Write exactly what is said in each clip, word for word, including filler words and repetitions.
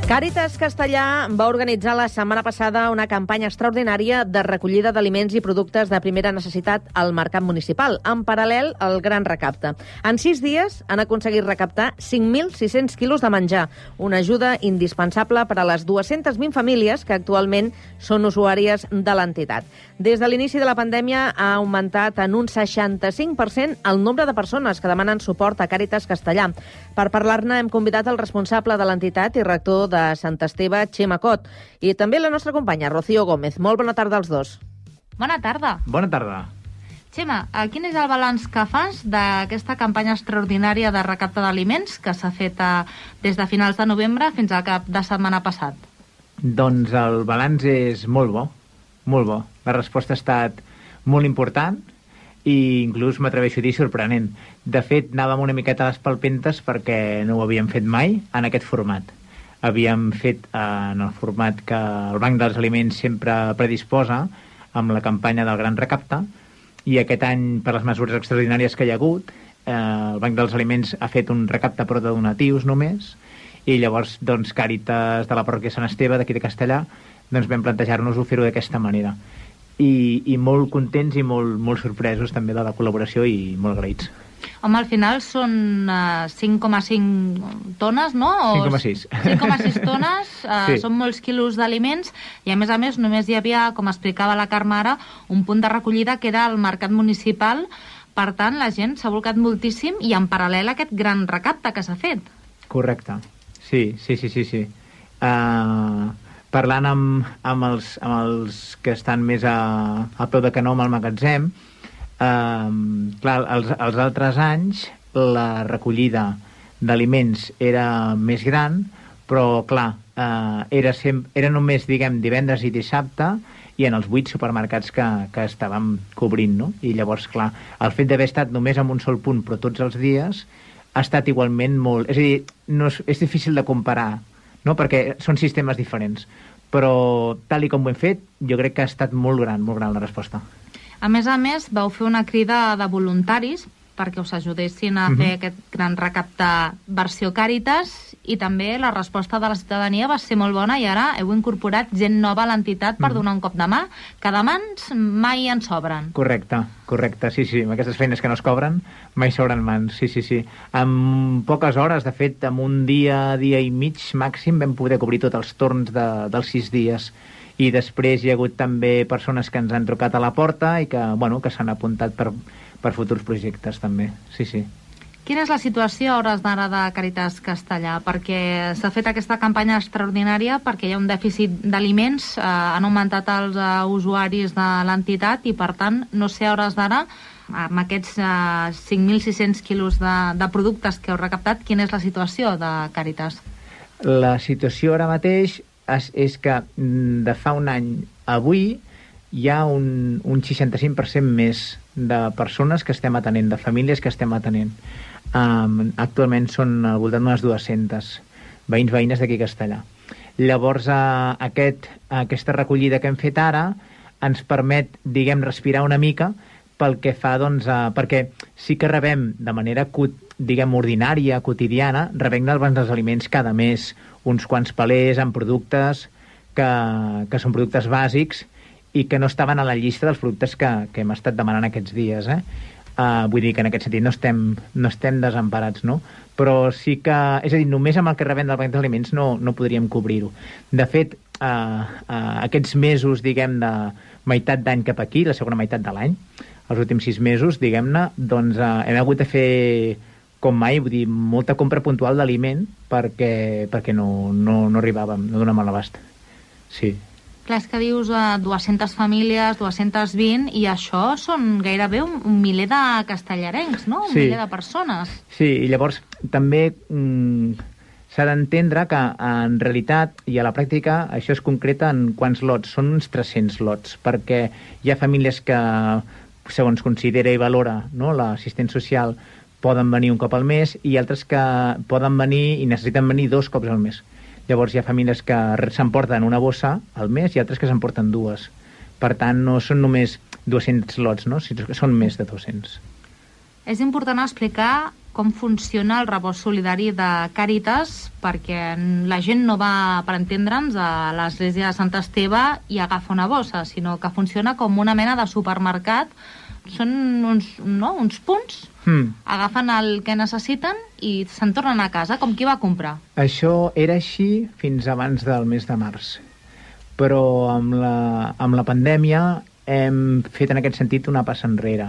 Càritas Castellà va organitzar la setmana passada una campanya extraordinària de recollida d'aliments i productes de primera necessitat al mercat municipal, en paral·lel al Gran Recapte. En sis dies han aconseguit recaptar cinc mil sis-cents quilos de menjar, una ajuda indispensable per a les dues-centes vint famílies que actualment són usuàries de l'entitat. Des de l'inici de la pandèmia ha augmentat en un seixanta-cinc per cent el nombre de persones que demanen suport a Càritas Castellà. Per parlar-ne hem convidat el responsable de l'entitat i rector de de Sant Esteve, Xema Cot, i també la nostra companya, Rocío Gómez. Molt bona tarda als dos. Bona tarda. Bona tarda. Xema, quin és el balanç que fas d'aquesta campanya extraordinària de recapte d'aliments que s'ha fet a, des de finals de novembre fins al cap de setmana passat? Doncs el balanç és molt bo, molt bo. La resposta ha estat molt important i inclús m'atreveixo a dir sorprenent. De fet, anàvem una miqueta a les palpentes perquè no ho havíem fet mai en aquest format. Havíem fet eh, en el format que el Banc dels Aliments sempre predisposa amb la campanya del Gran Recapte, i aquest any, per les mesures extraordinàries que hi ha hagut, eh, el Banc dels Aliments ha fet un recapte però de donatius només, i llavors doncs, Càritas de la parròquia Sant Esteve, d'aquí de Castellà, doncs vam plantejar-nos-ho fer-ho d'aquesta manera. I, i molt contents i molt, molt sorpresos també de la col·laboració i molt agraïts. Home, al final són uh, cinc coma cinc tones, no? cinc coma sis. cinc coma sis tones, uh, sí. Són molts quilos d'aliments, i a més a més només hi havia, com explicava la Carme ara, un punt de recollida que era el mercat municipal. Per tant, la gent s'ha volcat moltíssim i en paral·lel a aquest gran recapte que s'ha fet. Correcte. Sí, sí, sí, sí. sí. Uh, parlant amb, amb, els, amb els que estan més a, a peu de canó amb el magatzem, Uh, clar, els, els altres anys la recollida d'aliments era més gran, però clar, uh, era, sem- era només, diguem, divendres i dissabte, i en els vuit supermercats que, que estàvem cobrint, no? I llavors, clar, el fet d'haver estat només en un sol punt, però tots els dies, ha estat igualment molt... És a dir, no és, és difícil de comparar, no? Perquè són sistemes diferents, però tal i com ho hem fet, jo crec que ha estat molt gran, molt gran la resposta. A més a més, vau fer una crida de voluntaris perquè us ajudessin a uh-huh. fer aquest gran recapte versió Càritas, i també la resposta de la ciutadania va ser molt bona, i ara heu incorporat gent nova a l'entitat per uh-huh. donar un cop de mà, que de mans mai en sobren. Correcte, correcte, sí, sí. Amb aquestes feines que no es cobren, mai sobren mans, sí, sí, sí. En poques hores, de fet, en un dia, dia i mig màxim, vam poder cobrir tots els torns de, dels sis dies. I després hi ha hagut també persones que ens han trucat a la porta i que, bueno, que s'han apuntat per, per futurs projectes també, sí, sí. Quina és la situació a hores d'ara de Càritas Castellà? Perquè s'ha fet aquesta campanya extraordinària perquè hi ha un dèficit d'aliments, eh, han augmentat els uh, usuaris de l'entitat, i per tant, no sé a hores d'ara, amb aquests uh, cinc mil sis-cents quilos de, de productes que heu recaptat, quina és la situació de Càritas? La situació ara mateix és, és que de fa un any a avui hi ha un, un seixanta-cinc per cent més de persones que estem atenent, de famílies que estem atenent. Um, actualment són al voltant d'unes dues-centes veïns, veïnes d'aquí a Castellà. Llavors, uh, aquest, aquesta recollida que hem fet ara ens permet, diguem, respirar una mica pel que fa, doncs, uh, perquè sí que rebem de manera, diguem, ordinària, quotidiana, rebem del Banc dels Aliments cada mes uns quants palers amb productes que, que són productes bàsics i que no estaven a la llista dels productes que, que hem estat demanant aquests dies, eh? Uh, vull dir que en aquest sentit no estem, no estem desemparats, no? Però sí que, és a dir, només amb el que rebem del Banc dels Aliments no, no podríem cobrir-ho. De fet, uh, uh, aquests mesos, diguem, de meitat d'any cap aquí, la segona meitat de l'any, els últims sis mesos, diguem-ne, doncs uh, hem hagut de fer, com mai, vull dir, molta compra puntual d'aliment perquè, perquè no, no, no arribàvem, no donàvem l'abast. Sí. Clar, és que dius uh, dues-centes famílies, dues-centes vint, i això són gairebé un, un miler de castellarencs, no? Un sí. miler de persones. Sí, i llavors també mm, s'ha d'entendre que en realitat i a la pràctica això es concreta en quants lots. Són uns tres-cents lots, perquè hi ha famílies que, segons considera i valora, no, l'assistent social, poden venir un cop al mes, i altres que poden venir i necessiten venir dos cops al mes. Llavors hi ha famílies que s'emporten una bossa al mes i altres que s'emporten dues. Per tant, no són només dues-cents lots, no? Són més de dos-cents. És important explicar com funciona el rebost solidari de Càritas, perquè la gent no va, per entendre'ns, a l'església de Sant Esteve i agafa una bossa, sinó que funciona com una mena de supermercat. Són uns, no, uns punts, mm. agafen el que necessiten i se'n tornen a casa, com qui va comprar. Això era així fins abans del mes de març. Però amb la, amb la pandèmia hem fet en aquest sentit una passa enrere.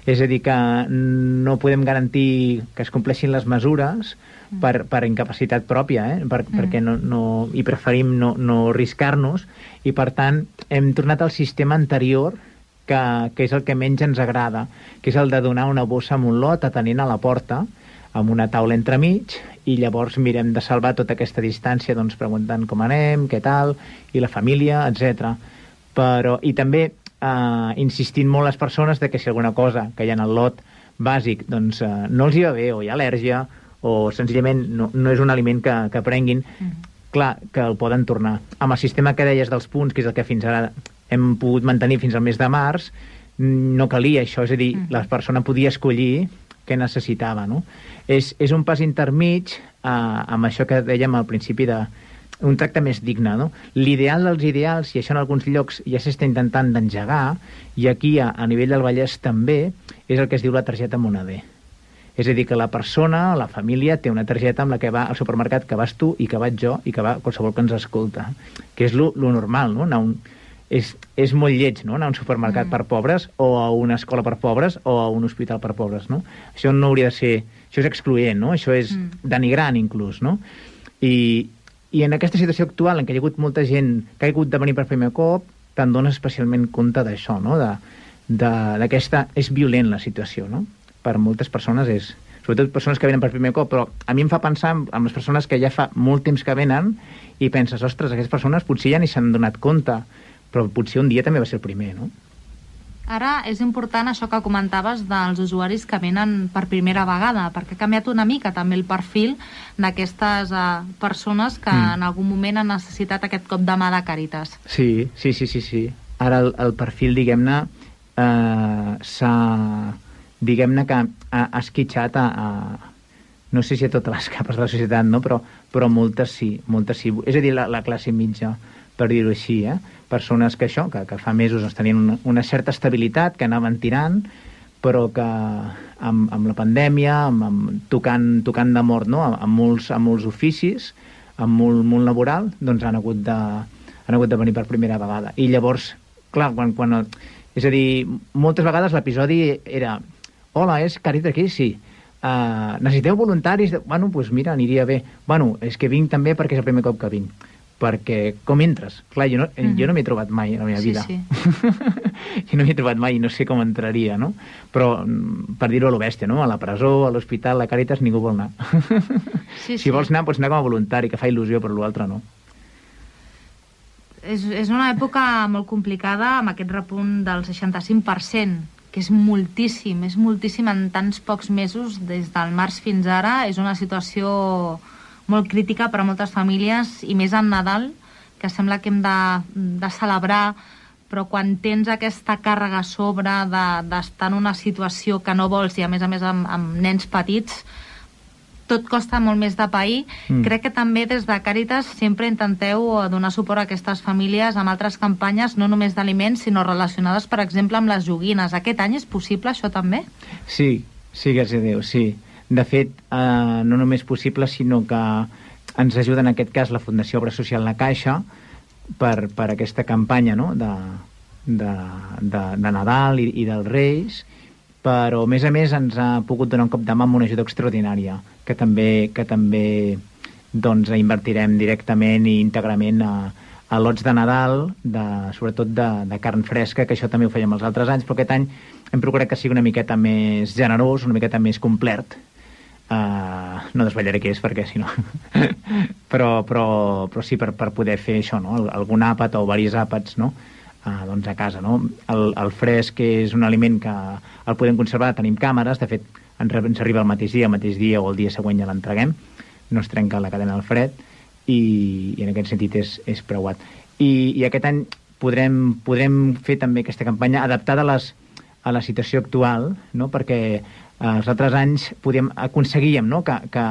És a dir, que no podem garantir que es compleixin les mesures mm. per, per incapacitat pròpia, eh? per, mm. perquè no, no, i preferim no, no arriscar-nos, i per tant hem tornat al sistema anterior, que, que és el que menys ens agrada, que és el de donar una bossa amb un lot atenent a la porta, amb una taula entremig, i llavors mirem de salvar tota aquesta distància, doncs preguntant com anem, què tal, i la família, etcètera. Però, i també Uh, insistint molt les persones de que si alguna cosa que hi ha en el lot bàsic doncs uh, no els hi va bé, o hi ha al·lèrgia, o senzillament no, no és un aliment que, que prenguin, mm. clar, que el poden tornar. Amb el sistema que deies dels punts, que és el que fins ara hem pogut mantenir fins al mes de març, no calia això, és a dir, mm. la persona podia escollir què necessitava, no? És, és un pas intermig uh, amb això que dèiem al principi de un tracte més digne, no? L'ideal dels ideals, i això en alguns llocs ja s'està intentant d'engegar, i aquí a, a nivell del Vallès també, és el que es diu la targeta Moneder. És a dir, que la persona, la família, té una targeta amb la que va al supermercat, que vas tu i que vaig jo i que va qualsevol que ens escolta. Que és lo, lo normal, no? Anar un, és, és molt lleig, no? Anar a un supermercat mm. per pobres, o a una escola per pobres, o a un hospital per pobres, no? Això no hauria de ser... Això és excloent, no? Això és mm. denigrant, inclús, no? I... I en aquesta situació actual, en què hi ha hagut molta gent que ha hagut de venir per primer cop, te'n dones especialment compte d'això, no? D'aquesta... És violent la situació, no? Per moltes persones és... Sobretot persones que venen per primer cop, però a mi em fa pensar en les persones que ja fa molt temps que venen i penses, ostres, aquestes persones potser ja ni s'han donat compte, però potser un dia també va ser el primer, no? Ara és important això que comentaves dels usuaris que venen per primera vegada, perquè ha canviat una mica també el perfil d'aquestes uh, persones que mm. en algun moment han necessitat aquest cop de mà de Càritas. Sí, sí, sí, sí, sí. Ara el, el perfil, diguem-ne, eh, s'ha... diguem-ne que ha, ha esquitxat a, a... no sé si a totes les capes de la societat, no? però, però moltes sí, moltes sí. És a dir, la, la classe mitja, per dir-ho així, eh? Persones que això, que, que fa mesos doncs, tenien una, una certa estabilitat, que anaven tirant, però que amb, amb la pandèmia, amb, amb, tocant, tocant de mort, no? amb, amb, molts, amb molts oficis, amb molt, molt laboral, doncs han hagut, de, han hagut de venir per primera vegada. I llavors, clar, quan, quan, és a dir, moltes vegades l'episodi era hola, és Càritas aquí? Sí. Uh, necessiteu voluntaris? Bueno, doncs pues mira, aniria bé. Bueno, és que vinc també perquè és el primer cop que vinc. Perquè com entres? Clar, jo no, mm-hmm. jo no m'he trobat mai a la meva sí, vida. Sí. Jo no m'he trobat mai i no sé com entraria, no? Però, per dir-ho a lo bèstia, no? A la presó, a l'hospital, a la Càritas, ningú vol anar. Sí, si sí. vols anar, pots anar com a voluntari, que fa il·lusió, però l'altre no. És, és una època molt complicada amb aquest repunt del seixanta-cinc per cent, que és moltíssim, és moltíssim en tants pocs mesos, des del març fins ara. És una situació molt crítica per a moltes famílies, i més en Nadal, que sembla que hem de, de celebrar, però quan tens aquesta càrrega a sobre d'estar de, en una situació que no vols, i a més a més amb, amb nens petits, tot costa molt més de pair. Mm. Crec que també des de Càritas sempre intenteu donar suport a aquestes famílies amb altres campanyes, no només d'aliments, sinó relacionades, per exemple, amb les joguines. Aquest any és possible això també? Sí, sí, gràcies a Déu, sí. De fet, eh, no només possible, sinó que ens ajuda en aquest cas la Fundació Obra Social La Caixa per, per aquesta campanya, no? de, de, de, de Nadal i, i dels Reis, però a més a més ens ha pogut donar un cop de mà amb una ajuda extraordinària que també, que també doncs, invertirem directament i íntegrament a, a lots de Nadal, de, sobretot de, de carn fresca, que això també ho fèiem els altres anys, però aquest any hem procurat que sigui una miqueta més generós, una miqueta més complet. Uh, no desvetllaré què és, perquè si no... però, però, però sí, per, per poder fer això, no? Algun àpat o diversos àpats, no? Uh, doncs a casa, no? El, el fresc és un aliment que el podem conservar, tenim càmeres, de fet ens, ens arriba el mateix dia, el mateix dia o el dia següent ja l'entreguem, no es trenca la cadena al fred, i, i en aquest sentit és, és preuat. I, i aquest any podrem, podrem fer també aquesta campanya adaptada a les, a la situació actual, no? Perquè eh, els altres anys podíem, aconseguíem, no? que, que,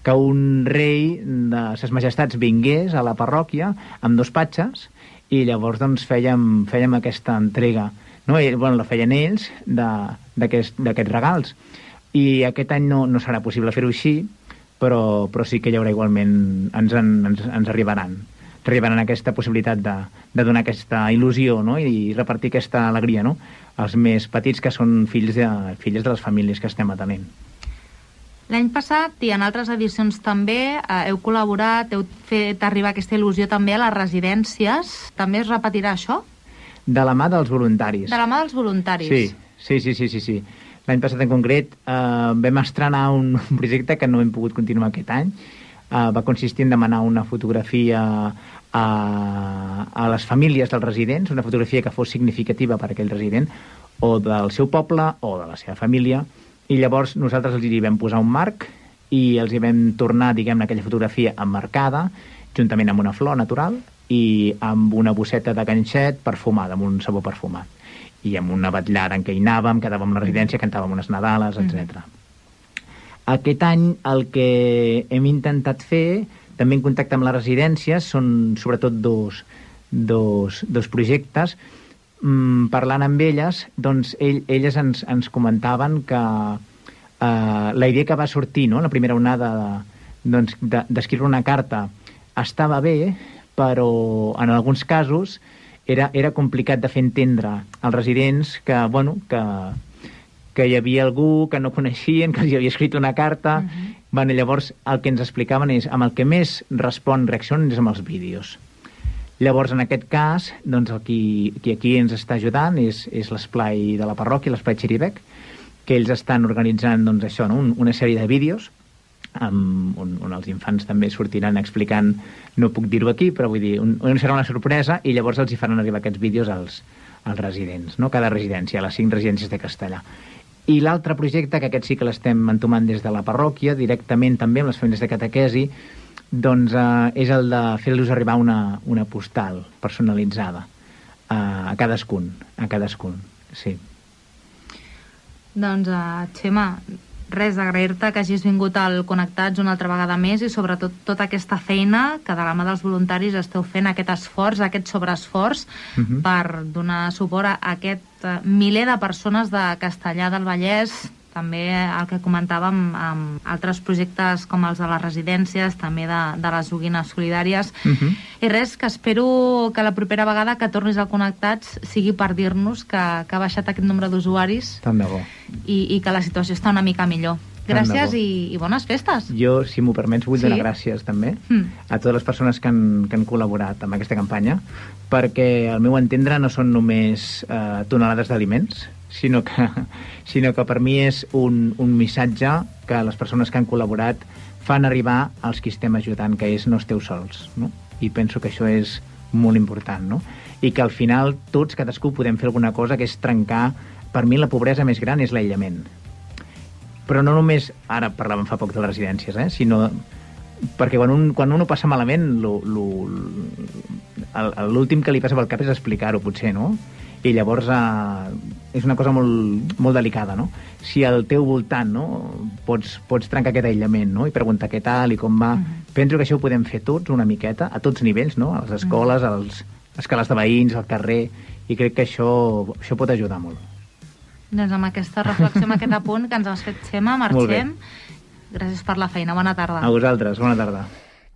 que un rei de ses majestats vingués a la parròquia amb dos patxes i llavors doncs, fèiem, fèiem aquesta entrega. No? I, bueno, la feien ells d'aquests regals. I aquest any no, no serà possible fer-ho així, però, però sí que hi haurà igualment, ens, en, ens, ens arribaran. arribaran aquesta possibilitat de, de donar aquesta il·lusió, no? I repartir aquesta alegria, no? als més petits, que són fills de, filles de les famílies que estem atenent. L'any passat i en altres edicions també eh, heu col·laborat, heu fet arribar aquesta il·lusió també a les residències. També es repetirà això? De la mà dels voluntaris. De la mà dels voluntaris. Sí, sí, sí, sí, sí, sí. L'any passat en concret eh, vam estrenar un projecte que no hem pogut continuar aquest any. Uh, va consistir en demanar una fotografia a, a les famílies dels residents, una fotografia que fos significativa per a aquell resident, o del seu poble o de la seva família, i llavors nosaltres els hi vam posar un marc i els hi vam tornar, diguem-ne, aquella fotografia emmarcada, juntament amb una flor natural i amb una bosseta de ganxet perfumada, amb un sabó perfumat. I amb una vetllada en què hi anàvem, quedàvem a la residència, cantàvem unes Nadales, etcètera. Mm. Aquest any el que hem intentat fer, també en contacte amb les residències, són sobretot dos, dos, dos projectes. Mm, parlant amb elles, doncs ell, elles ens, ens comentaven que eh, la idea que va sortir, no?, la primera onada doncs, d'escriure una carta estava bé, però en alguns casos era, era complicat de fer entendre als residents que, bueno, que que hi havia algú que no coneixien, que els havia escrit una carta. Uh-huh. Bueno, llavors el que ens explicaven és amb el que més respon reaccions és amb els vídeos. Llavors, en aquest cas, doncs, el qui, qui aquí ens està ajudant és, és l'esplai de la parròquia, l'esplai Xirivec, que ells estan organitzant doncs, això, no? Un, una sèrie de vídeos amb, on, on els infants també sortiran explicant, no puc dir-ho aquí, però vull dir, un, un serà una sorpresa, i llavors els hi faran arribar aquests vídeos als, als residents, no? Cada residència, a les cinc residències de Castellà. I l'altre projecte, que aquest sí que l'estem entomant des de la parròquia, directament també amb les famílies de catequesi, doncs eh, és el de fer-los arribar una, una postal personalitzada eh, a cadascun, a cadascun, sí. Doncs, uh, Txema, res, agrair-te que hagis vingut al Connectats una altra vegada més i sobretot tota aquesta feina que de la mà dels voluntaris esteu fent, aquest esforç, aquest sobreesforç uh-huh. per donar suport a aquest uh, miler de persones de Castellar del Vallès, també el que comentàvem amb altres projectes com els de les residències, també de, de les joguines solidàries. Uh-huh. I res, que espero que la propera vegada que tornis al Connectats sigui per dir-nos que, que ha baixat aquest nombre d'usuaris i, i que la situació està una mica millor. Gràcies i, i bones festes. Jo, si m'ho permets, vull sí. donar gràcies també mm. a totes les persones que han, que han col·laborat amb aquesta campanya, perquè al meu entendre no són només eh, tonelades d'aliments, sinó que, sinó que per mi és un, un missatge que les persones que han col·laborat fan arribar als qui estem ajudant, que és no esteu sols, no? I penso que això és molt important, no? I que al final tots, cadascú, podem fer alguna cosa, que és trencar. Per mi la pobresa més gran és l'aïllament. Però no només, ara parlàvem fa poc de les residències, eh? Sinó perquè quan un, quan un ho passa malament, l'últim que li passa pel cap és explicar-ho, potser, no? I llavors eh, és una cosa molt, molt delicada, no? Si al teu voltant, no, pots, pots trencar aquest aïllament, no? I preguntar què tal i com va. Uh-huh. Penso que això ho podem fer tots una miqueta, a tots nivells, no? A les escoles, uh-huh. als escales de veïns, al carrer, i crec que això, això pot ajudar molt. Doncs amb aquesta reflexió, amb aquest apunt que ens has fet, Txema, marxem. Gràcies per la feina. Bona tarda. A vosaltres. Bona tarda.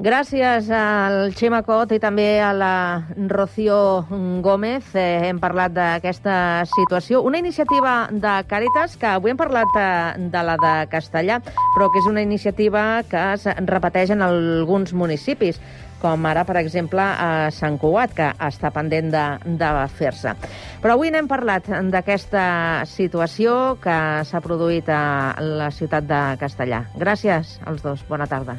Gràcies al Txema Cot i també a la Rocío Gómez. Eh, hem parlat d'aquesta situació. Una iniciativa de Càritas, que avui hem parlat de, de la de Castellar, però que és una iniciativa que es repeteix en alguns municipis, com ara, per exemple, a Sant Cugat, que està pendent de, de fer-se. Però avui n'hem parlat d'aquesta situació que s'ha produït a la ciutat de Castellar. Gràcies als dos. Bona tarda.